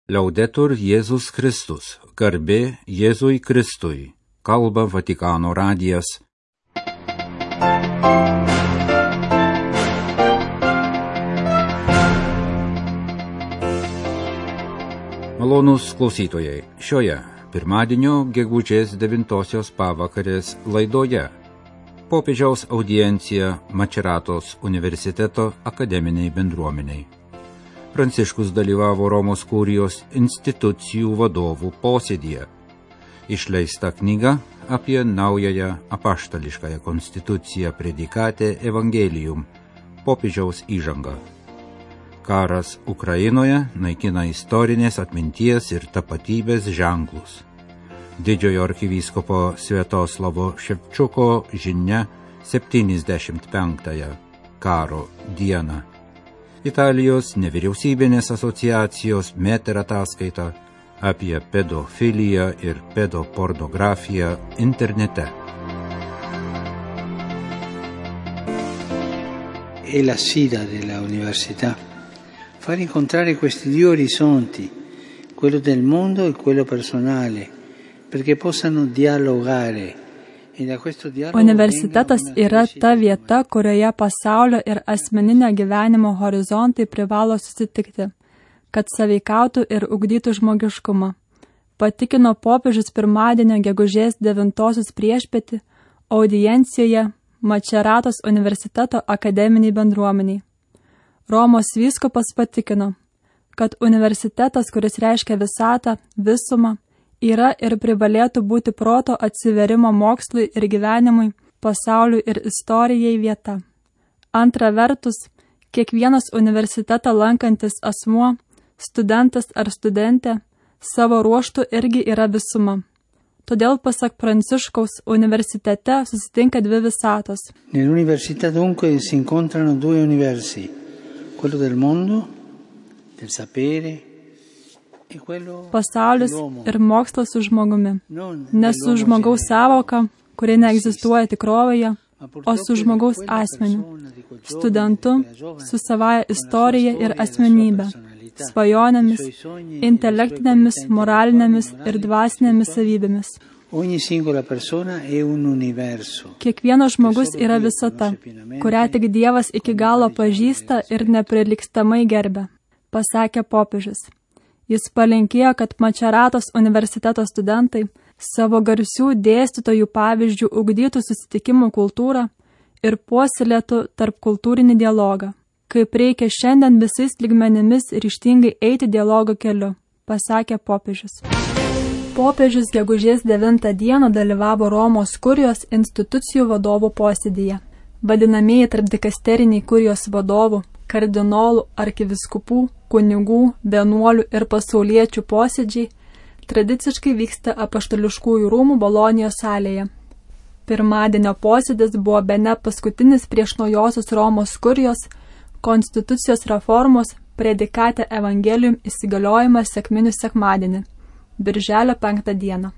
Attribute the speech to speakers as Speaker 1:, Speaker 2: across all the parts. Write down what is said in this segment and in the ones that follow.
Speaker 1: Liaudetur Jėzus Kristus, garbė Jėzui Kristui, kalba Vatikano radijas. Malonūs klausytojai, šioje pirmadienio gegužės 9 pavakarės laidoje popiežiaus audiencija Mačeratos universiteto akademiniai bendruomeniai. Pranciškus dalyvavo Romos kurijos institucijų vadovų posėdyje. Išleista knyga apie naująją apaštališkąją konstituciją Predikate Evangelium, popiežiaus įžanga. Karas Ukrainoje naikina istorinės atminties ir tapatybės ženklus. Didžiojo arkivyskupo Sviatoslavo Ševčiuko žinia 75-ąją karo dieną. Italijos nevyriausybinės asociacijos Meter ataskaita apie pedofiliją ir pedopornografiją internete.
Speaker 2: È la sfida della università, far incontrare questi due orizzonti, quello del mondo e quello personale, perché possano dialogare.
Speaker 3: Universitetas yra ta vieta, kurioje pasaulio ir asmeninio gyvenimo horizontai privalo susitikti, kad sąveikautų ir ugdytų žmogiškumą. Patikino popiežius pirmadienio gegužės 9 priešpietį audiencijoje Mačeratos universiteto akademiniai bendruomeniai. Romos vyskupas patikino, kad universitetas, kuris reiškia visatą, visumą, yra ir privalėtų būti proto atsiverimo mokslui ir gyvenimui, pasauliui ir istorijai vieta. Antra vertus, kiekvienas universitetą lankantis asmuo, studentas ar studentė, savo ruožtu irgi yra visuma. Todėl, pasak Pranciškaus, universitete susitinka dvi visatos.
Speaker 2: Nell'università dunque si incontrano due universi, quello del mondo, del sapere,
Speaker 3: pasaulis ir mokslas su žmogumi. Ne su žmogaus sąvoka, kuri neegzistuoja tikrovėje, o su žmogaus asmeniu, studentu, su savaja istorija ir asmenybė, svajonėmis, intelektinėmis, moralinėmis ir dvasinėmis savybėmis. Kiekvienas žmogus yra visata, kurią tik Dievas iki galo pažįsta ir neprilygstamai gerbia, pasakė popiežius. Jis palinkėjo, kad Mačeratos universiteto studentai savo garsių dėstytojų pavyzdžių ugdytų susitikimų kultūrą ir puoselėtų tarpkultūrinį dialogą, kaip reikia šiandien visais lygmenimis ryžtingai eiti dialogo keliu, pasakė popiežius. Popiežius gegužės 9 dieną dalyvavo Romos kurijos institucijų vadovų posėdyje. Vadinamieji tarpdikasteriniai kurijos vadovų, kardinolų, arkiviskupų, kunigų, vienuolių ir pasauliečių posėdžiai tradiciškai vyksta apaštališkųjų rūmų Bolonijos salėje. Pirmadienio posėdis buvo bene paskutinis prieš naujosios Romos kurijos konstitucijos reformos Predikate Evangelium įsigaliojimas sekminių sekmadienį, birželio 5 dieną.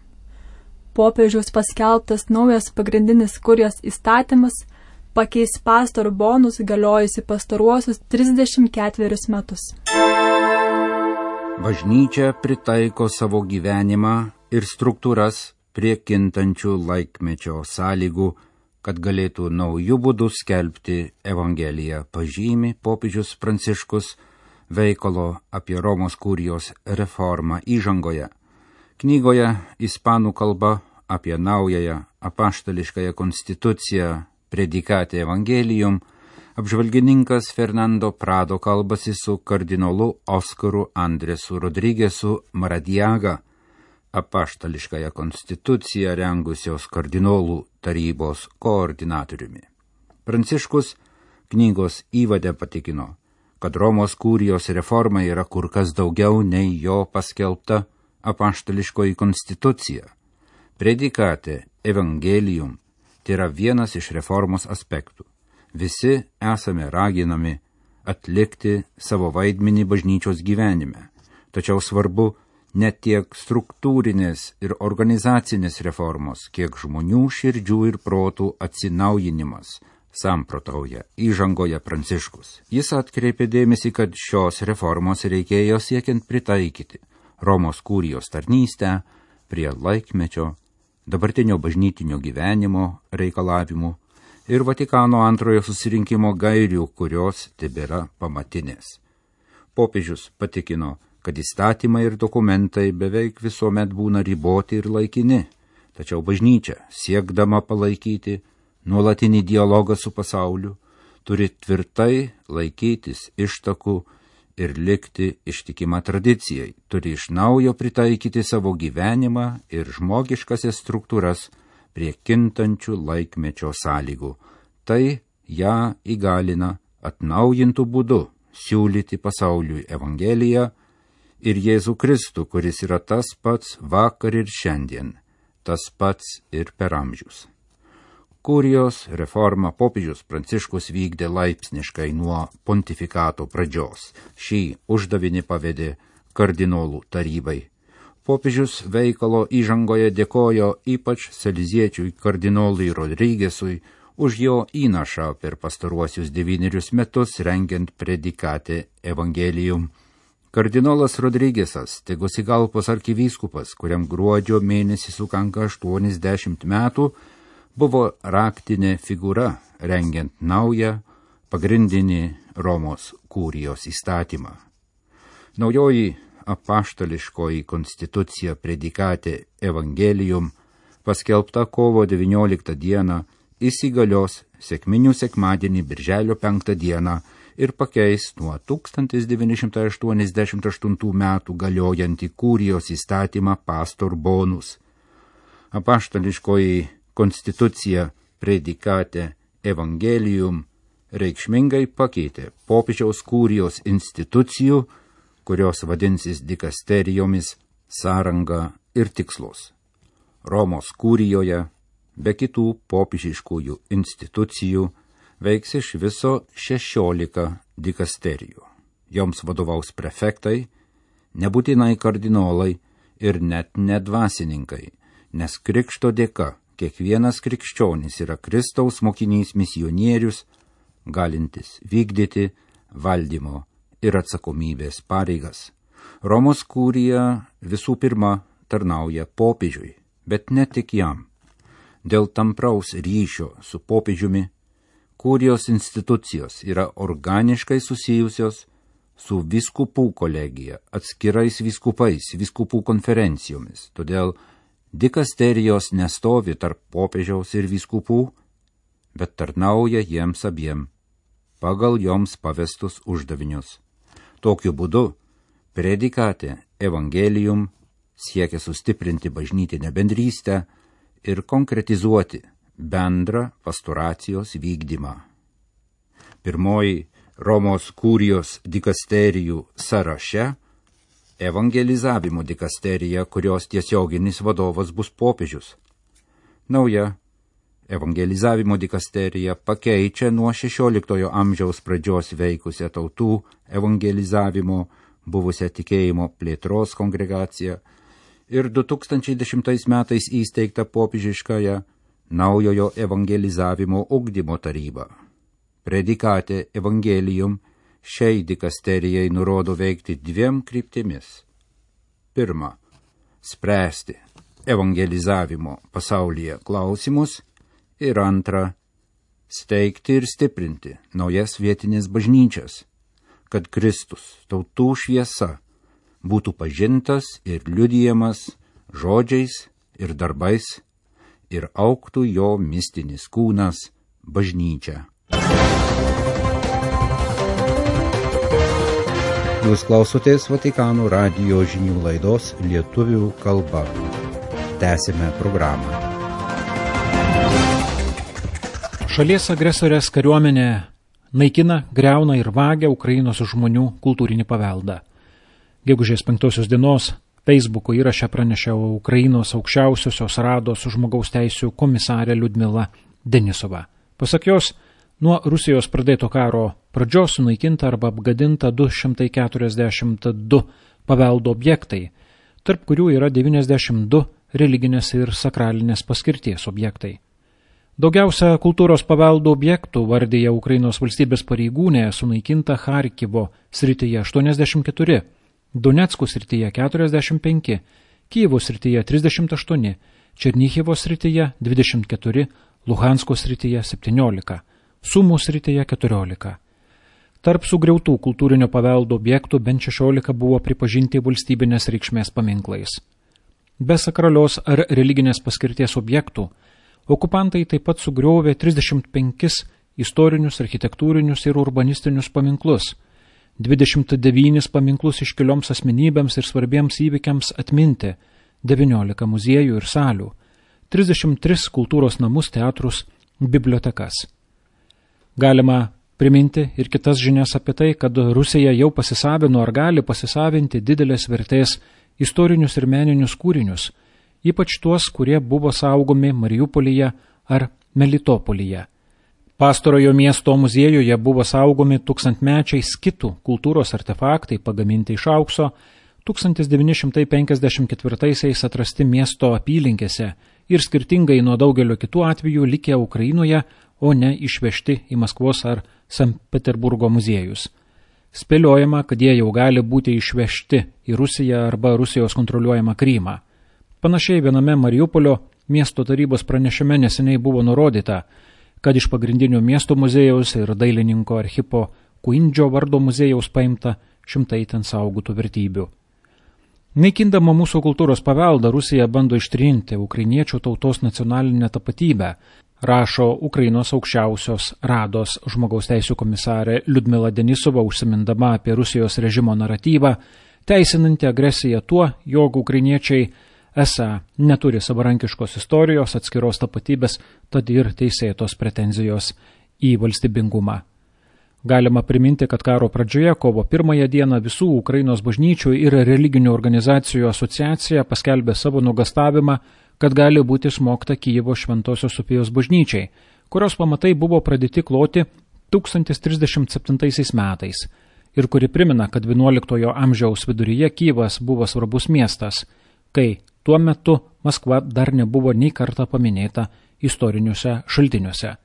Speaker 3: Popiežiaus paskelbtas naujas pagrindinis kurijos įstatymas pakeis pastor bonus galiojusi pastaruosius 34 metus.
Speaker 1: Bažnyčia pritaiko savo gyvenimą ir struktūras prie kintančių laikmečio sąlygų, kad galėtų naujų būdų skelbti Evangeliją, pažymi popiežius Pranciškus veikalo apie Romos kurijos reformą įžangoje. Knygoje ispanų kalba apie naująją apaštališkąją konstituciją Predikate Evangelium apžvalgininkas Fernando Prado kalbasi su kardinolu Oskaru Andresu Rodrigesu Maradiaga, apaštališkąją konstituciją rengusios kardinolų tarybos koordinatoriumi. Pranciškus knygos įvade patikino, kad Romos kurijos reforma yra kur kas daugiau nei jo paskelbta apaštališkoji konstitucija. Predikate Evangelium tai yra vienas iš reformos aspektų. Visi esame raginami atlikti savo vaidmenį bažnyčios gyvenime, tačiau svarbu ne tiek struktūrinės ir organizacinės reformos, kiek žmonių širdžių ir protų atsinaujinimas, samprotauja įžangoje Pranciškus. Jis atkreipė dėmesį, kad šios reformos reikėjo siekiant pritaikyti Romos kurijos tarnystę prie laikmečio, dabartinio bažnytinio gyvenimo reikalavimų ir Vatikano antrojo susirinkimo gairių, kurios tebėra pamatinės. Popiežius patikino, kad įstatymai ir dokumentai beveik visuomet būna riboti ir laikini, tačiau bažnyčia, siekdama palaikyti nuolatinį dialogą su pasauliu, turi tvirtai laikytis ištakų ir likti ištikima tradicijai, turi iš naujo pritaikyti savo gyvenimą ir žmogiškasias struktūras prie kintančių laikmečio sąlygų. Tai ją įgalina atnaujintų būdų siūlyti pasauliui Evangeliją ir Jėzų Kristų, kuris yra tas pats vakar ir šiandien, tas pats ir per amžius. Kurijos reformą popiežius Pranciškus vykdė laipsniškai nuo pontifikato pradžios. Šį uždavinį pavedė kardinolų tarybai. Popiežius veikalo įžangoje dėkojo ypač saleziečiui kardinolui Rodrigesui už jo įnašą per pastaruosius 9 metus rengiant predikatę Evangelium. Kardinolas Rodrigesas, Tegucigalpos arkivyskupas, kuriam gruodžio mėnesį sukanka 80 metų, buvo raktinė figūra rengiant naują pagrindinį Romos kurijos įstatymą. Naujoji apaštališkoji konstitucija predikatė Evangelium, paskelbta kovo 19 dieną, įsigalios sekminių sekmadienį birželio 5 dieną ir pakeis nuo 1988 metų galiojantį kurijos įstatymą Pastor Bonus. Apaštališkoji konstitucija predikatė Evangelium reikšmingai pakeitė popiežiaus kurijos institucijų, kurios vadinsis dikasterijomis, sąrangą ir tikslus. Romos kurijoje, be kitų popiežiškųjų institucijų, veiks iš viso 16 dikasterijų. Joms vadovaus prefektai, nebūtinai kardinolai ir net nedvasininkai, nes krikšto dėka kiekvienas krikščionis yra Kristaus mokinys misionierius, galintis vykdyti valdymo ir atsakomybės pareigas. Romos kurija visų pirma tarnauja popiežiui, bet ne tik jam. Dėl tampraus ryšio su popiežiumi kurijos institucijos yra organiškai susijusios su vyskupų kolegija, atskirais vyskupais, vyskupų konferencijomis. Todėl dikasterijos nestovi tarp popiežiaus ir vyskupų, bet tarnauja jiems abiem pagal joms pavestus uždavinius. Tokiu būdu predikatė Evangelium siekia sustiprinti bažnytinę bendrystę ir konkretizuoti bendrą pastoracijos vykdymą. Pirmoji Romos kurijos dikasterijų sąraše evangelizavimo dikasterija, kurios tiesioginis vadovas bus popiežius. Nauja evangelizavimo dikasterija pakeičia nuo 16 amžiaus pradžios veikusią tautų evangelizavimo buvusią tikėjimo plėtros kongregaciją ir 2010 metais įsteigtą popiežiškąją naujojo evangelizavimo ugdymo tarybą. Predikatė Evangelium šiai dikasterijai nurodo veikti 2 kryptimis. Pirma, spręsti evangelizavimo pasaulyje klausimus ir antra, steigti ir stiprinti naujas vietinės bažnyčias, kad Kristus, tautų šviesa, būtų pažintas ir liudijamas žodžiais ir darbais ir augtų jo mistinis kūnas bažnyčia. Jūs klausotės Vatikano radijo žinių laidos lietuvių kalba. Tęsime programą.
Speaker 4: Šalies agresorės kariuomenė naikina, griauna ir vagia Ukrainos žmonių kultūrinį paveldą. Gegužės 5 dienos Facebooko įraše pranešė Ukrainos aukščiausiosios rados žmogaus teisių komisarė Liudmila Denisova. Pasak jos, nuo Rusijos pradėto karo pradžios sunaikinta arba apgadinta 242 paveldo objektai, tarp kurių yra 92 religinės ir sakralinės paskirties objektai. Daugiausia kultūros paveldo objektų, vardija Ukrainos valstybės pareigūnė, sunaikinta Charkivo srityje 84, Donecko srityje 45, Kijevo srityje 38, Černihivo srityje 24, Luhansko srityje 17, Sumo srityje 14. Tarp sugriautų kultūrinio paveldo objektų bent 16 buvo pripažinti valstybinės reikšmės paminklais. Be sakralios ar religinės paskirties objektų, okupantai taip pat sugriovė 35 istorinius, architektūrinius ir urbanistinius paminklus, 29 paminklus iškilioms asmenybėms ir svarbiems įvykiams atminti, 19 muziejų ir salių, 33 kultūros namus, teatrus, bibliotekas. Galima priminti ir kitas žinias apie tai, kad Rusija jau pasisavino ar gali pasisavinti didelės vertės istorinius ir meninius kūrinius, ypač tuos, kurie buvo saugomi Mariupolyje ar Melitopolyje. Pastarojo miesto muziejuje buvo saugomi tūkstantmečiai skitų kultūros artefaktai pagaminti iš aukso, 1954-aisiais atrasti miesto apylinkėse ir skirtingai nuo daugelio kitų atvejų likę Ukrainoje, o ne išvežti į Maskvos ar Sankt Peterburgo muziejus. Spėliojama, kad jie jau gali būti išvežti į Rusiją arba Rusijos kontroliuojamą Krymą. Panašiai viename Mariupolio miesto tarybos pranešime neseniai buvo nurodyta, kad iš pagrindinio miesto muziejaus ir dailininko Archipo Kuindžio vardo muziejaus paimta šimtai ten saugotų vertybių. Naikindama mūsų kultūros paveldą, Rusija bando ištrinti ukrainiečių tautos nacionalinę tapatybę, rašo Ukrainos aukščiausios Rados žmogaus teisių komisarė Liudmila Denisova, užsimindama apie Rusijos režimo naratyvą, teisinanti agresiją tuo, jog ukrainiečiai esą neturi savarankiškos istorijos, atskiros tapatybės, tad ir teisėtos pretenzijos į valstybingumą. Galima priminti, kad karo pradžioje, kovo 1 dieną, visų Ukrainos bažnyčių ir religinių organizacijų asociacija paskelbė savo nuogąstavimą, kad gali būti smogta Kijevo Šventosios Sofijos bažnyčiai, kurios pamatai buvo pradėti kloti 1037 metais ir kuri primena, kad 11 amžiaus viduryje Kijevas buvo svarbus miestas, kai tuo metu Maskva dar nebuvo nei kartą paminėta istoriniuose šaltiniuose.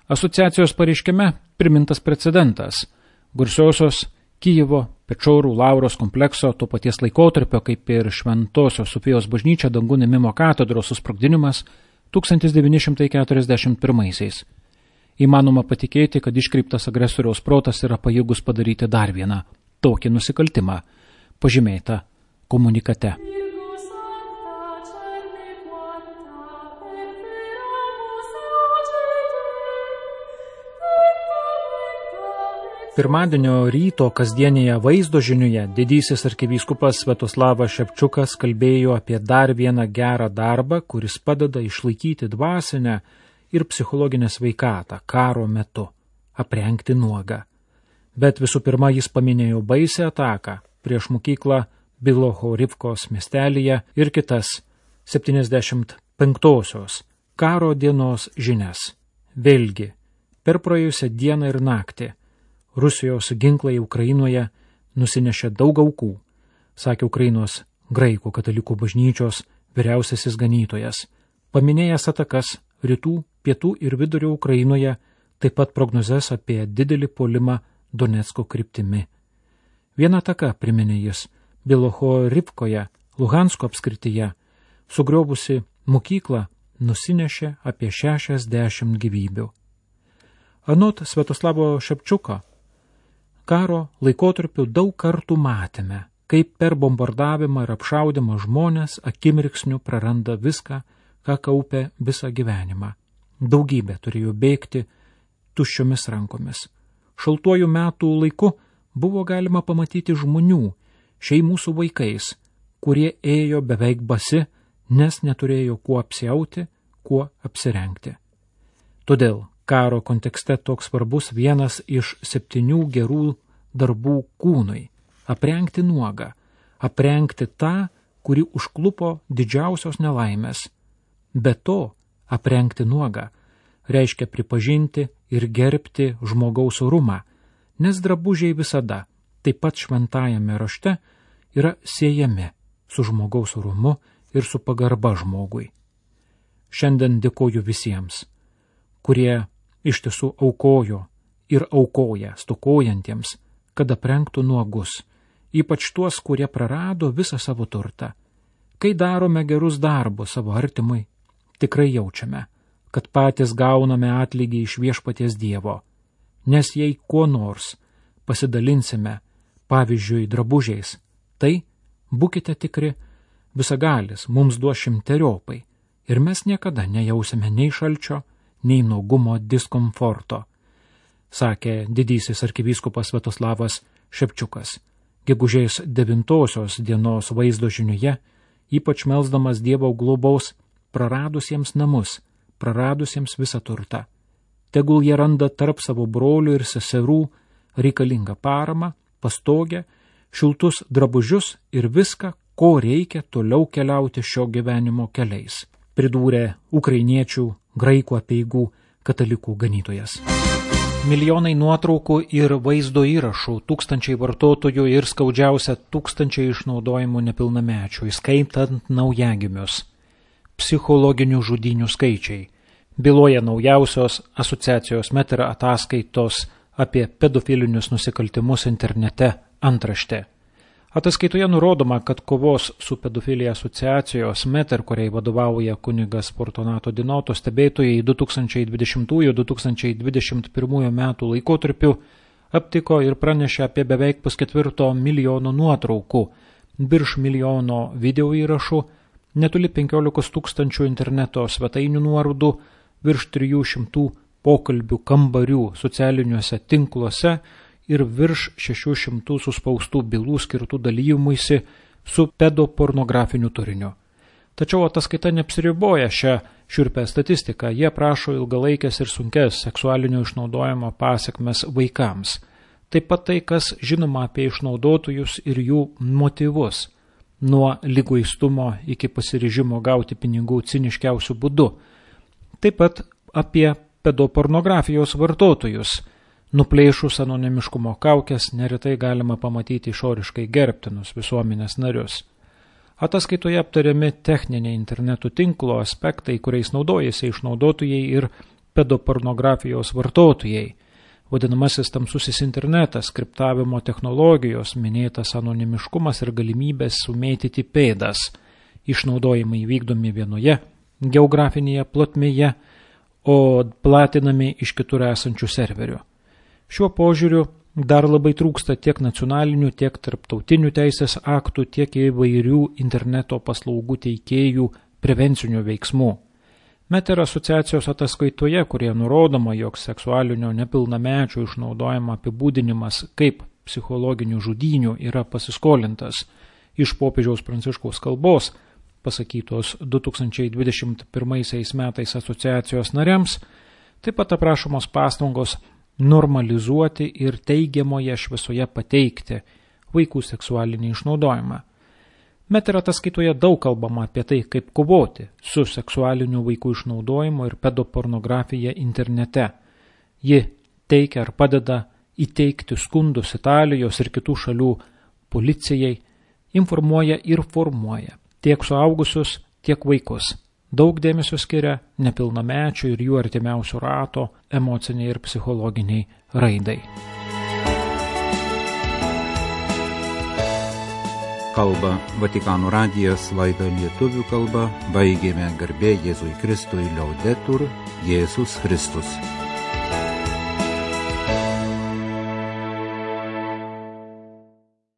Speaker 4: Asociacijos pareiškime primintas precedentas garsiosios Kijevo Pečorų Lauros komplekso to paties laikotarpio, kaip ir Šventosios Sofijos bažnyčia Dangų Nemimo katedros susprogdinimas 1941-aisiais. Įmanoma patikėti, kad iškreiptas agresoriaus protas yra pajėgus padaryti dar vieną tokį nusikaltimą, pažymėta komunikate. Pirmadienio ryto kasdienėje vaizdo žinioje didysis arkivyskupas Sviatoslavas Ševčiukas kalbėjo apie dar vieną gerą darbą, kuris padeda išlaikyti dvasinę ir psichologinę sveikatą karo metu – aprengti nuogą. Bet visų pirma jis paminėjo baisią ataką prieš mokyklą Bilohorivkos miestelyje ir kitas 75-osios karo dienos žinias. Vėlgi, per praėjusią dieną ir naktį Rusijos ginklai Ukrainoje nusinešė daug aukų, sakė Ukrainos graikų katalikų bažnyčios vyriausiasis ganytojas, paminėjęs atakas rytų, pietų ir vidurio Ukrainoje, taip pat prognozes apie didelį puolimą Donecko kryptimi. Viena ataka, priminė jis, Bilohorivkoje, Luhansko apskrityje, sugriovusi mokyklą, nusinešė apie 60 gyvybių. Anot Sviatoslavo Ševčiuko, karo laikotarpiu daug kartų matėme, kaip per bombardavimą ir apšaudimą žmonės akimirksniu praranda viską, ką kaupė visą gyvenimą. Daugybė turėjo bėgti tuščiomis rankomis. Šaltuoju metų laiku buvo galima pamatyti žmonių, šeimų su vaikais, kurie ėjo beveik basi, nes neturėjo kuo apsiauti, kuo apsirengti. Todėl karo kontekste toks svarbus vienas iš 7 gerų darbų kūnui – aprengti nuogą, aprengti tą, kuri užklupo didžiausios nelaimės. Be to, aprengti nuogą reiškia pripažinti ir gerbti žmogaus orumą, nes drabužiai visada, taip pat šventajame rašte, yra siejami su žmogaus orumu ir su pagarba žmogui. Šiandien dėkoju visiems, kurie iš tiesų aukojo ir aukoja stokojantiems, kad aprengtų nuogus ypač tuos, kurie prarado visą savo turtą. Kai darome gerus darbus savo artimui, tikrai jaučiame, kad patys gauname atlygį iš Viešpaties Dievo, nes jei kuo nors pasidalinsime, pavyzdžiui, drabužiais, tai, būkite tikri, visagalis mums duos 100-eriopai ir mes niekada nejausime nei šalčio, nei nuogumo diskomforto, sakė didysis arkivyskupas Sviatoslavas Šepčiukas, gegužės 9 dienos vaizdo žinioje, ypač melsdamas Dievo globos praradusiems namus, praradusiems visą turtą. Tegul jie randa tarp savo brolių ir seserų reikalingą paramą, pastogę, šiltus drabužius ir viską, ko reikia toliau keliauti šio gyvenimo keliais, pridūrė ukrainiečių, graikų apeigų katalikų ganytojas. Milijonai nuotraukų ir vaizdo įrašų, tūkstančiai vartotojų ir skaudžiausia tūkstančiai išnaudojimų nepilnamečių, įskaitant naujagimius. Psichologinių žudynių skaičiai. Byloja naujausios asociacijos Meter ataskaitos apie pedofilinius nusikaltimus internete antraštė. Ataskaitoje nurodoma, kad kovos su pedofilija asociacijos Meter, kuriai vadovauja kunigas Fortunato Dinoto, stebėtojai 2020–2021 metų laikotarpiu aptiko ir pranešė apie beveik 4,5 milijono nuotraukų, virš milijono video įrašų, netoli 15 tūkstančių interneto svetainių nuorodų, virš 300 pokalbių kambarių socialiniuose tinkluose ir virš 600 suspaustų bylų skirtų dalyjimuisi su pedopornografiniu turiniu. Tačiau ataskaita neapsiriboja šią šiurpę statistiką, jie prašo ilgalaikės ir sunkes seksualinio išnaudojimo pasekmes vaikams. Taip pat tai, kas žinoma apie išnaudotojus ir jų motyvus, nuo liguistumo iki pasiryžimo gauti pinigų ciniškiausių būdų. Taip pat apie pedopornografijos vartotojus. Nuplėšus anonimiškumo kaukės neretai galima pamatyti išoriškai gerbtinus visuomenės narius. Ataskaitoje aptariami techniniai interneto tinklo aspektai, kuriais naudojasi išnaudotojai ir pedopornografijos vartotojai. Vadinamasis tamsusis internetas, kriptavimo technologijos, minėtas anonimiškumas ir galimybės sumėtyti pėdas. Išnaudojimai vykdomi vienoje geografinėje plotmėje, o platinami iš kitur esančių serverių. Šiuo požiūriu dar labai trūksta tiek nacionalinių, tiek tarptautinių teisės aktų, tiek įvairių interneto paslaugų teikėjų prevencinių veiksmų. Meter asociacijos ataskaitoje, kurie nurodoma, jog seksualinio nepilnamečių išnaudojimo apibūdinimas kaip psichologinių žudynių yra pasiskolintas iš popiežiaus Pranciškaus kalbos, pasakytos 2021 metais asociacijos nariams, taip pat aprašomos pastangos normalizuoti ir teigiamoje šviesoje pateikti vaikų seksualinį išnaudojimą. Meter ataskaitoje daug kalbama apie tai, kaip kovoti su seksualiniu vaikų išnaudojimu ir pedopornografija internete. Ji teikia ar padeda įteikti skundus Italijos ir kitų šalių policijai, informuoja ir formuoja tiek suaugusius, tiek vaikus. Daug dėmesio skiria nepilnamečių ir jų artimiausių rato emociniai ir psichologiniai raidai.
Speaker 1: Kalba Vatikano radijas, laidą lietuvių kalba, baigėme garbė Jėzui Kristui, Liaudetur, Jėzus Kristus.